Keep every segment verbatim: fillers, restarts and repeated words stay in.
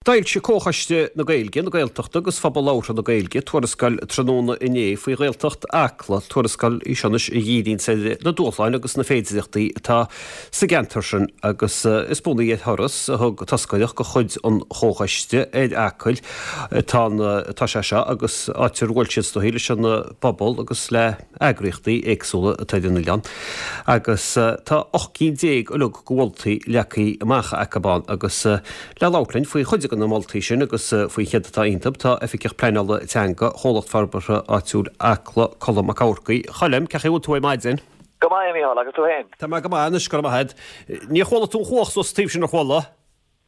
D'fhoilsigh Comhchoiste na Gaeilge, na Gaeltachta agus Phobal Labhartha na Gaeilge tuarascáil tráthnóna inné faoi Ghaeltacht Acla, tuarascáil í seo anois a dhíríonns ar na dúshláin agus na féidireachtaí atá sa gceantar sin agus is bunaithe ar thuras a thug toscaireacht de chuid an Chomhchoiste ar Acaill atá atá sé seo agus áit ar bhuail siad is dóichí leis an bpobal agus le heagraíochtaí éagsúla atá ar an oileán agus tá ocht gcinn déag uilig de mholtaí leagtha amach acu ann agus le labhairt linn faoi chuid de na moltaí sin agus faoi céard atá iontu tá Oifigeach Pleanála Teanga Chomhlacht Forbartha Áitiúil Acla, Colm Mac Eamharcaigh. A Choilm, cén chaoi a bhfuil tú ar maidin? Go maith, a Mhícheáil, agus tú féin? Tá mé go maith anois, go raibh maith agat. Níor chuala tú an chuach suas sa taobh sin, ar chuala?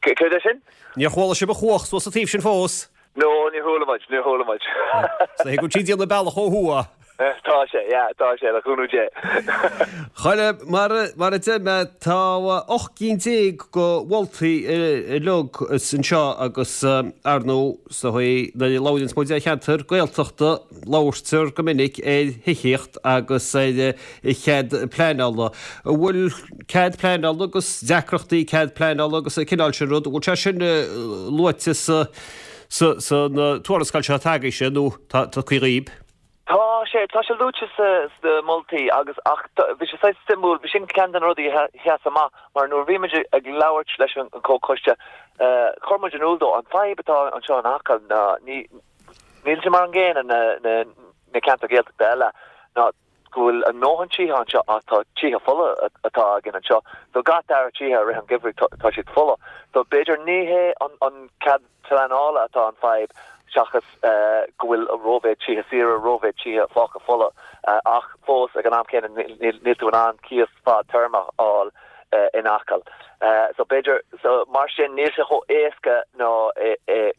Céard é sin? Níor chuala sibh an chuach suas sa taobh sin fós? No, níor chuala muid, níor chuala muid. Is dóichí go bhfuil sí ag déanamh bealach ó thuaidh. Tá sé, yeah, tá sé, le cúnamh Dé. Choilm, mar, mar a deir mé, tá ocht gcinn déag de mholtaí uilig anseo agus ar ndóigh, is dóichí, nuair a labhraíonns muid ar cheantar Gaeltachta, labhairtear go minic ar thithíocht agus ar chead pleanála. An bhfuil cead pleanála agus deacrachtaí cead pleanála agus an cineál sin rud, an bhfuil sé sin luaite sa, sa, san tuarascáil seo atá agaibhse nó tá tugtha dhaoib? Tá sé, tá sé luaite sa, sna moltaí agus, ach bhí sé saghas suimiúil, bhí sin ceann de na rudaí a sheas amach mar nuair a bhí muid ag labhairt leis an comhchoiste, chuir muid in iúl dó an fadhb atá anseo in Acaill ná ní, níl sé mar an gcéanna na, na, na ceantair Ghaeltachta eile ná go bhfuil a ndóthain tithe anseo ach tá tithe folamh atá againn anseo. So gach dara tithe i rith an gheimhridh tá siad folamh. So b'fhéidir ní hé an, an cead pleanála atá an fadhb seachas go bhfuil rómhéid tithe saora, rómhéid tithe fágtha folamh ach fós ag an am céanna níl tú in ann cíos fadtéarmach a fháil in Acaill. So b'fhéidir, so mar sin níl sé chomh éasca ná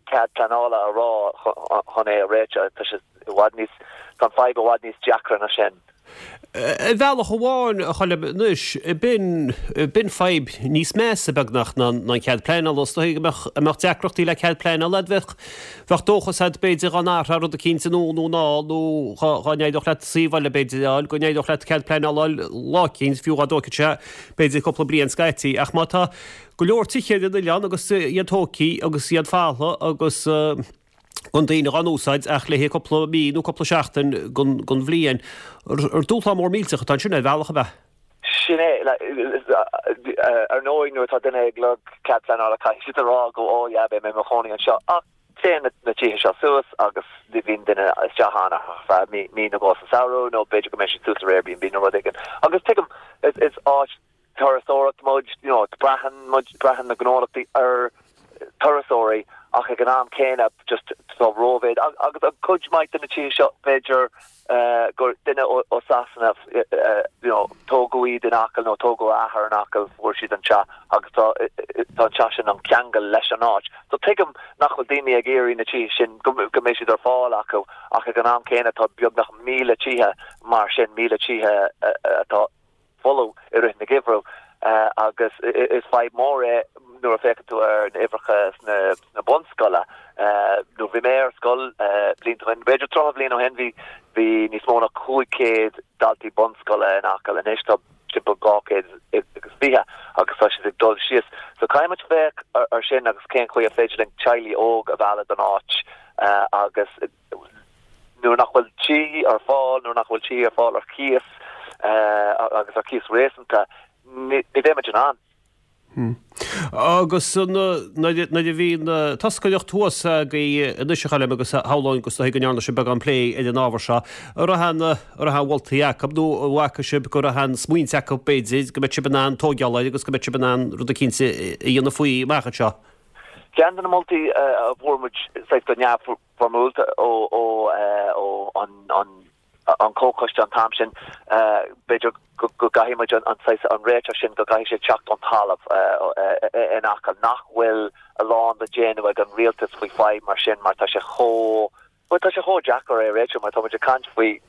cead pleanála a rá chun é a réiteach, tá sé i bhfad níos, tá an fadhb i bhfad níos deacra ná sin. Ar bhealach amháin, a Choilm, anois, b'in, b'in fadhb níos measa beagnach ná an cead pleanála. Is dóigh go mbeadh, mbeadh deacrachtaí le cead pleanála agat, bheadh, bheadh dóchas agat b'fhéidir dá n-athródh rud eicínt anonn nó anall nó dhá, dhá n-éireodh leat suíomh eile b'fhéidir a fháil, go n-éireodh leat cead pleanála a fháil lá eicínt, fiú dhá dtógfadh sé b'fhéidir cúpla bliain scaití. Ach má tá go leor tithe ar an oileán agus iad tógtha agus iad folamh agus, gan daoine dhá n-úsáid ach le haghaidh cúpla mí nó cúpla seachtain den bhliain. Ar dúshlán mór millteach atá ansin ar bhealach, ab ea? Sin é. Ar ndóigh, nuair atá duine ag lorg cead pleanála caithfidh siad a rá go oh yeah, beidh mé i mo chónaí anseo. Ach téann na tithe seo suas agus ní bhíonn duine isteach ann ach ar feadh mí, mí nó dhó sa samhradh nó b'fhéidir go mbeidh siad suas ar Airbnb nó rud éigin. Agus tuigim, is áit turasóireacht muid, you know, braitheann muid, braitheann na gnólachtaí ar turasóirí ach ag an am céanna just tá rómhéid agus an cuid maith de na tithe seo b'fhéidir gur duine ó Sasana you know, tógadh iad in Acaill nó tógadh a athair in Acaill fuair siad an teach agus tá tá an teach sin an ceangal leis an áit. So tuigim nach bhfuil daoine ag iarraidh na tithe sin go go mbeidh siad ar fáil acu ach ag an am céanna tá beagnach míle tithe mar sin, míle tithe atá folamh i rith na geimhreadh agus is fadhb mór é nuair a féachann tú ar na huimhreacha sna bunscoile. Nuair bhí mé ar scoil blianta ó shin, b'fhéidir tríocha bliain ó shin, bhí bhí níos mó ná cúig chéad daltaí bunscoile in Acaill, anois tá timpeall dhá chéad agus fiche agus tá siad ag dul síos. So caithfidh muid féach ar sin agus cén chaoi a féidir linn teaghlaigh óg a mhealladh don áit agus nuair nach bhfuil tí ar fáil, nuair nach bhfuil tí ar fáil ar chíos agus ar chíos réasúnta, ní bheidh muid in ann. Agus nuair a bhí an toscaireacht thuas agaibh anois a Choilm agus shamhlóinn go go ndearna sibh beagán plé ar an ábhar seo, an raibh aon an raibh aon mholtaí acu nó an bhfaca sibh go raibh aon smaointe acu b'fhéidir go mbeadh sibh in ann tóigeáil air agus go mbeadh sibh in ann rud eicínt a dhéanamh faoi amach anseo? Ceann de na moltaí a fuair muid saghas go neamhfhoirmiúlta ó an comhchoiste an t-am sin, b'fhéidir go gcaithfidh muid an saghas an réiteach sin, go gcaithfidh sé teacht ón talamh in Acaill, nach bhfuil a lán le déanamh ag an rialtas faoi fadhb mar sin mar tá sé chomh Bhuel, tá sé chomh deacair é a réiteach mar tá muid ag caint faoi,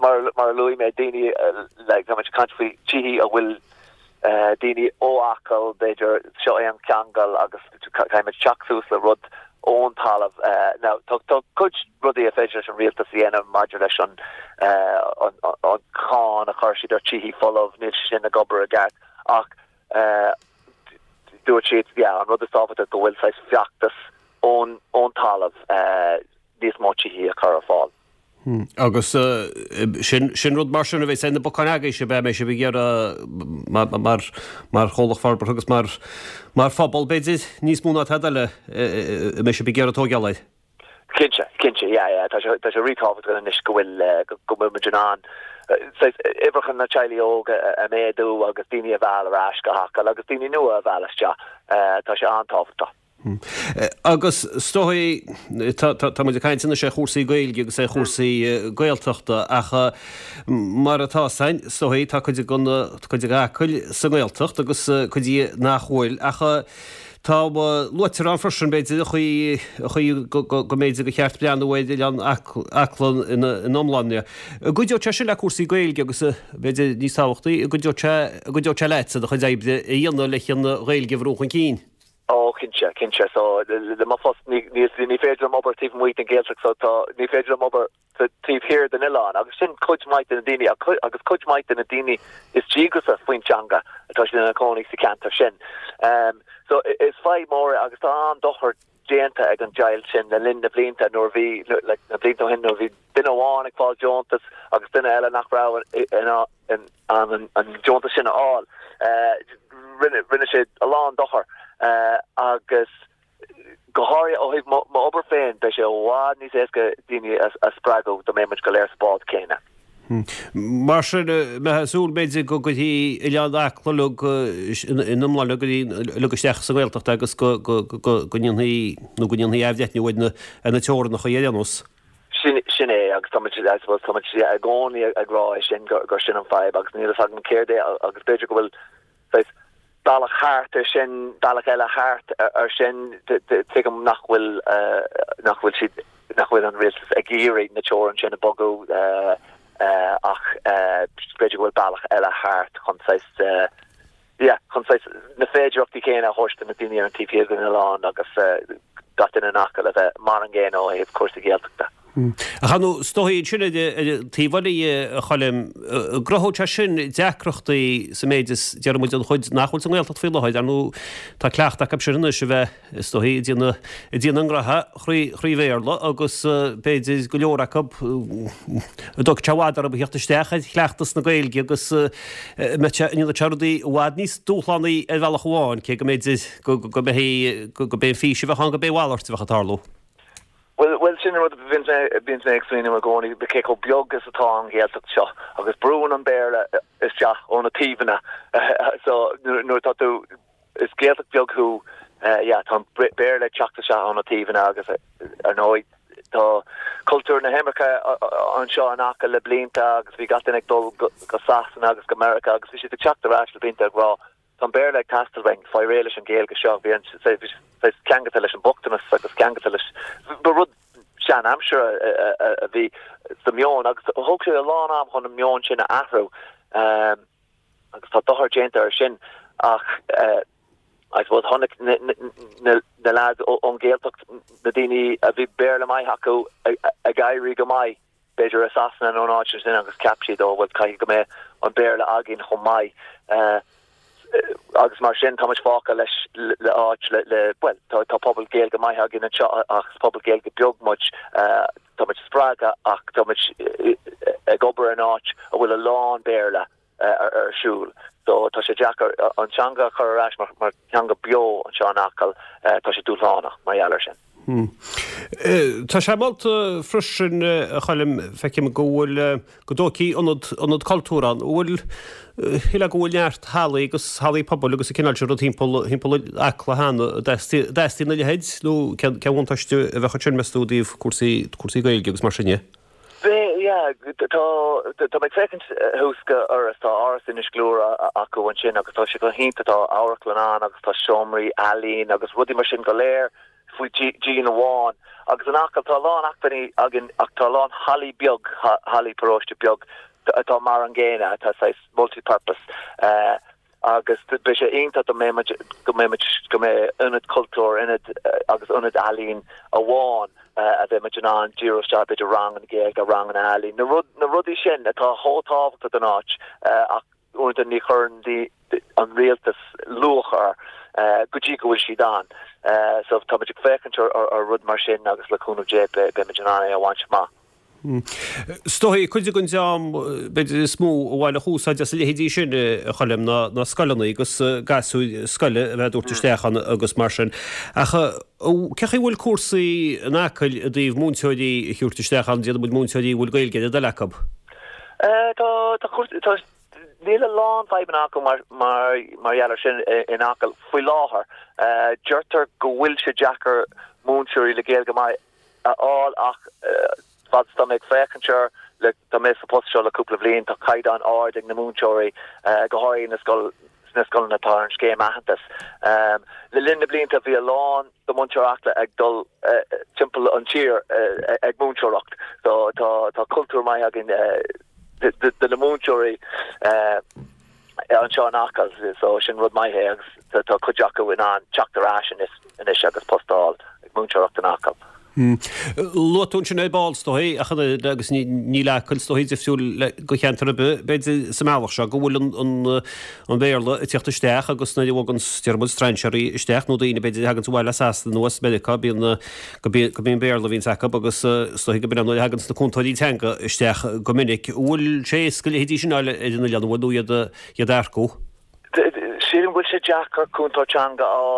mar mar a luaigh mé, daoine, like, tá muid ag caint faoi tithe a bhfuil daoine ó Acaill, b'fhéidir, seo é an ceangal agus caithfidh muid teacht suas le rud ón talamh. Now, tá tá cuid rudaí a féidir leis an rialtas a dhéanamh maidir leis an an an cáin a chuir siad ar tithe folamh, níl sé sin ag obair i gceart ach Dúirt siad, yeah, an rud is tábhachtaí go bhfuil saghas feachtas ón ón talamh níos mó tithe a chur ar fáil. Hmm. Agus sin sin rud mar sin a bheidh na bocáin agaibhse beidh mé sibh ag iarraidh mar mar mar chomhlacht forbartha agus mar mar phobal b'fhéidir níos mó ná tada eile a mbeidh sibh ag iarraidh tógáil air. Cinnte, cinnte, yeah, yeah, tá sé tá sé ríthábhachtach anois go bhfuil go bhfuil muid in ann uimhreacha na teaghlaigh óga a méadú agus daoine a mhealladh ar ais go hAcaill agus daoine nua a mhealladh isteach. Tá sé an-tábhachtach. Agus is dóigh tá muid ag caint anois ar chúrsaí Gaeilge agus ar chúrsaí Gaeltachta ach mar atá san is dóigh tá cuid den cuid d'Acaill sa nGaeltacht agus cuid di nach bhfuil ach tá luaitear ann freisin b'fhéidir an chaoi an chaoi go mb'fhéidir gur cheart breathnú ar oileán Acla ina iomláine. An gcuideodh sé sin le cúrsaí Gaeilge agus b'fhéidir níos tábhachtaí an gcuideodh sé an gcuideodh sé leatsa do chuid oibre a dhéanamh leis an Ghaeilge a bhrú chun cinn? Ó cinnte, cinnte. So le mo phost ní ní ní féidir liom obair taobh amuigh den Ghaeltacht so tá ní féidir liom obair taobh thiar den oileán agus sin cuid mhaith de na daoine agus cuid mhaith de na daoine is díograsa faoin teanga atá siad ina cónaí sa cheantar sin. Um, so is fadhb mór agus tá an-dochar déanta ag an deighilt sin le linn na blianta nuair bhí like, na blianta ó shin nuair bhí duine amháin ag fáil deontas agus duine eile nach raibh in in an an deontas sin a fháil. Uh, rinne rinne sé a lán dochar uh, agus go háirithe ó thaobh m'obair féin beidh sé i bhfad níos éasca daoine a spreagadh dá mbeadh muid go léir sa bád céanna. Mar sin mbeifeá ag súil b'fhéidir go gcuirfí oileán Acla uilig in iomláine go uilig isteach sa nGaeltacht agus go go go go ndéanfaí nó go ndéanfaí athbhreithniú ar na ar na teorainneacha ar aon nós. Sin sin é agus tá muid I suppose tá muid i gcónaí ag rá é sin gur gur sin an fadhb agus níl a fhios agam céard é agus b'fhéidir go bhfuil bealach thart ar sin bealach eile thart ar sin tuigim nach bhfuil nach bhfuil siad nach bhfuil an rialtas ag iarraidh na teorainn sin a bhogadh ach b'fhéidir go bhfuil bealach eile thart chun saghas yeah chun saghas na féidearthachtaí céanna a thabhairt do na daoine ar an taobh thiar den oileán agus gach duine in Acaill a bheith mar an gcéanna ó thaobh cúrsaí Gaeltachta. Ach nó is dóigh sin ar an taobh eile a Choilm, an gcruthódh sé sin deacrachtaí sa méid is deir muid an chuid nach bhfuil sa nGaeltacht faoi láthair, ar ndóigh tá cleachtadh acu sin anois a bheith is dóigh ag déanamh ag déanamh a ngraithe thrí thrí Bhéarla agus b'fhéidir go leor acu an dtógfaidh sé i bhfad orthu a theacht isteach ar chleachtas na Gaeilge agus mbeidh sé ndéanfaidh sé rudaí i bhfad níos dúshlánaí ar bhealach amháin cé go mb'fhéidir go go mbeidh go mbeidh an fís a bheadh ann go mbeidh a mhalairt a bheadh ag tarlú. Well well sin rud bhíonn bíonn mé ag smaoineamh i gcónaí cé chomh beag is atá an Ghaeltacht seo agus brúnn an Béarla isteach ó na taobhanna so nuair atá tú is Gaeltacht beag thú yeah tá an Béarla ag teacht isteach ó na taobhanna agus ar ndóigh tá cultúr na himirce anseo in Acaill le blianta agus bhí gach duine ag dul go Sasana agus go Meiriceá agus bhí siad ag teacht ar ais le blianta ag rá Tá an Béarla ag teastáil uainn, faigh réidh leis an Ghaeilge seo, bhí an saghas ceangailte leis an mbochtanas agus ceangailte leis, ba rud sean-aimsire a bhí sa meon agus thóg sé a lán am chun an meon sin a athrú agus tá dochar déanta ar sin ach I suppose chonaic na lads ón Ghaeltacht, na daoine a bhí Béarla maith acu ag éirí go maith. b'fhéidir i Sasana nó in áit sin agus cheap siad ó bhuel caithfidh go mbeidh an Béarla againn chomh maith agus mar sin tá muid fágtha leis le áit le le bhuel tá tá pobal Gaeilge maith againn anseo ach is pobal Gaeilge beag muid tá muid spreagtha ach tá muid ag obair in áit a bhfuil a lán Béarla ar siúl. So tá sé deacair an teanga a chur ar ais mar mar theanga beo anseo in Acaill, tá sé dúshlánach mar gheall air sin. Tá sé molta freisin, a Choilm, feicim go bhfuil, go dtógfaí ionad, ionad cultúir ann. An bhfuil, shílfeá go bhfuil neart hallaí agus hallaí pobail agus an cineál sin rud timpeall, timpeall Acla cheana. An dteastaíonn a leithéid nó cén, cén bhuntáiste a bheadh ansin meas tú i dtaobh cúrsaí, cúrsaí Gaeilge agus mar sin de? Bhí, yeah, tá, tá mé ag féachaint thuas go Iorras, tá Áras Inis Gluaire acu ansin agus tá sé go hiontach, tá amharclann ann agus tá seomraí ealaíon agus rudaí mar sin go léir faoi dhíon amháin. Agus in Acaill tá a lán acmhainní againn ach tá a lán hallaí beag, hallaí paróiste beag atá mar an gcéanna, atá saghas multi-purpose. Agus beidh sé iontach dá mbeidh muid, go mbeidh muid, go mbeidh ionad cultúir, ionad agus ionad ealaíon amháin a bheidh muid in ann díriú isteach, b'fhéidir ranganna Gaeilge, ranganna ealaíon, na rud, na rudaí sin atá chomh tábhachtach don áit ach uaireanta ní chuireann an rialtas luach air. go dtí go bhfuil siad ann. So tá muid ag féachaint ar ar rud mar sin agus le cúnamh Dé beimid in ann é a bhaint amach. Is dóigh cuid den dream b'fhéidir is mó a bhainfeadh úsáid as a leithéidí sin a Choilm ná na scoileanna agus gasúir scoile a bheith ag tabhairt isteach ann agus mar sin. Ach cé chaoi bhfuil cúrsaí in Acaill i dtaobh múinteoirí a thabhairt isteach ann, déarfaidh muid múinteoirí a bhfuil Gaeilge ar a dtoil acu? Tá tá tá níl a lán fadhbanna acu mar mar mar gheall air sin in Acaill faoi láthair. Deirtear go bhfuil sé deacair múinteoirí le Gaeilge maith a fháil ach fad is tá mé ag féachaint air le tá mé sa post seo le cúpla bliain tá caighdeán ard ag na múinteoirí go háirithe na scoil sna scoileanna atá ar an scéim aitheantas. Le linn na blianta bhí a lán de mhuintir Acla ag dul timpeall an tír ag múinteoireacht so tá tá cultúr maith againn de de na múinteoirí anseo in Acaill so sin rud maith é agus tá cuid acu in ann teacht ar ais anois agus post a fháil ag múinteoireacht in Acaill. Luaigh tú ansin ar ball is dóigh ach an oiread agus níl Acaill is dóigh difriúil go cheantar ar bith b'fhéidir sa mbealach seo go bhfuil an Béarla ag teacht isteach agus nuair a bhogann déarfaidh muid strainséirí isteach nó daoine b'fhéidir a thaganns abhaile as Sasana nó as Meiriceá bíonn go bíonn Béarla a bhíonns acu agus is dóigh go b'in nuair a thaganns na cúntóirí teanga isteach go minic. Bhfuil sé éasca a leithéidí sin a fháil ar an oileán an bhfuil nó iad iad a earcú? Sílim go bhfuil sé deacair cúntóir teanga a fháil.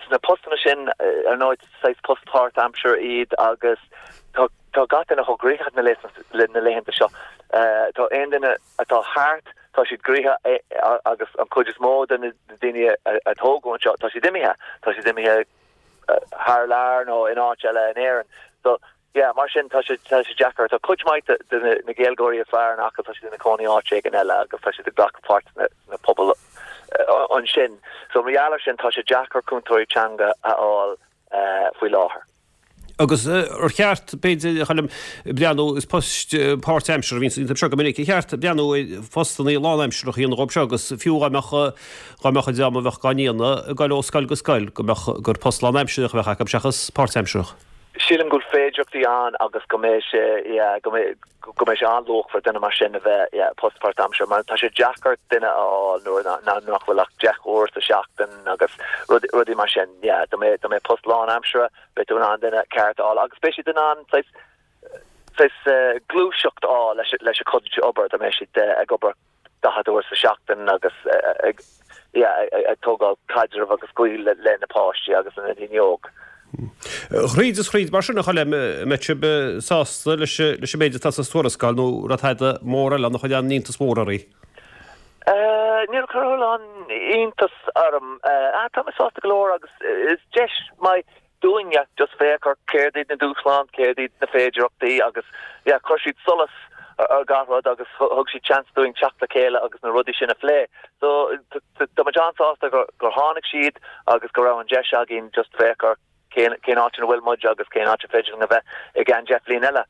Sna postanna sin, ar ndóigh, saghas post páirtaimseartha iad agus tá tá gach duine chomh gnoitheach na na laethanta seo. Tá aon duine atá thart, tá siad gnoitheach agus an chuid is mó de na daoine a tógadh anseo, tá siad imithe. Tá siad imithe thar lear nó in áit eile in Éirinn. So Yeah, mar sin tá sé tá sé deacair. Tá cuid mhaith de na na Gaeilgeoirí is fearr in Acaill, tá siad ina cónaí áit éigin eile agus tá siad ag glacadh páirt sna sna pobail ansin. So mar gheall air sin tá sé deacair cúntóirí teanga a fháil faoi láthair. Agus ar cheart, b'fhéidir, a Choilm, breathnú, is poist páirtaimseartha a bhíonn iontu seo go minic, ar cheart breathnú ar phostanna lánaimseartha a dhéanamh dhóibh seo agus fiú dá mbeadh dá mbeadh an dream a bheadh á ndéanamh ag dul ó scoil go scoil go mbeadh gur post lánaimseartha a bheadh acu seachas páirtaimseartha. Sílim go bhfuil féidearthachtaí ann agus go mbeidh sé, yeah, go mbeidh, go mbeidh sé an-luachmhar duine mar sin a bheith, yeah, post páirtaimseartha mar tá sé deacair duine a fháil nuair nach bhfuil ach deich uair sa seachtain agus rudaí mar sin, yeah, dá mbeadh, dá mbeadh post lánaimseartha beidh tú in ann duine ceart a fháil agus beidh siad in ann saghas, saghas gluaiseacht a fháil leis, leis a cuid obair dá mbeidh siad ag obair daichead uair sa seachtain agus ag ag tógáil caidreamh agus gaol le na páistí agus na daoine óg. Thríd is thríd, mar sin, a Choilm, an mbeidh sibh sásta leis an méid atá sa tuarascáil nó raibh tada mór eile ann a chuir aon iontas mór oraibh? Níor chuir a lán iontas orm. Tá mé sásta go leor agus is deis maith dúinn yeah just féach ar céard iad na dúshláin, céard iad na féidearthachtaí agus yeah chuir siad solas ar gach rud agus thug siad seans dúinn teacht le chéile agus na rudaí sin a phlé. So tá muid an-sásta gur gur tháinig siad agus go raibh an deis againn just féach ar cén cén áit ina bhfuil muid agus cén áit a féidir linn a bheith i gceann deich bhliain eile.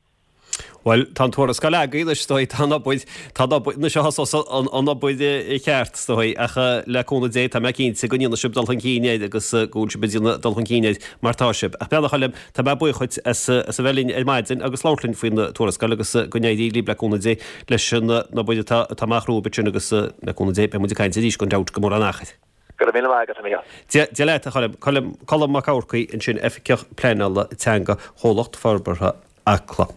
Bhuel, tá an tuarascáil agaibh anois, is dóigh, tá an obair, tá an obair, anois a thosós an an obair cheart, is dóigh, ach le cúnamh Dé, tá mé cinnte go ndéanfaidh sibh dul chun cinn air agus go bhfuil sibh ag déanamh dul chun cinn air mar tá sibh. Ach beannacht Choilm, tá mé buíoch dhuit as as a bheith linn ar maidin agus labhairt linn faoin tuarascáil agus go n-éirí libh le cúnamh Dé leis an obair atá atá amach romhaibh ansin agus le cúnamh Dé beidh muid ag caint arís gan dabht go mór an achar. Go raibh míle maith agat, a Mhícheáil. Dia Dia leat, a Choilm. Colm Colm Mac Eamharcaigh ansin, Oifigeach Pleanála Teanga Chomhlacht Forbartha Acla.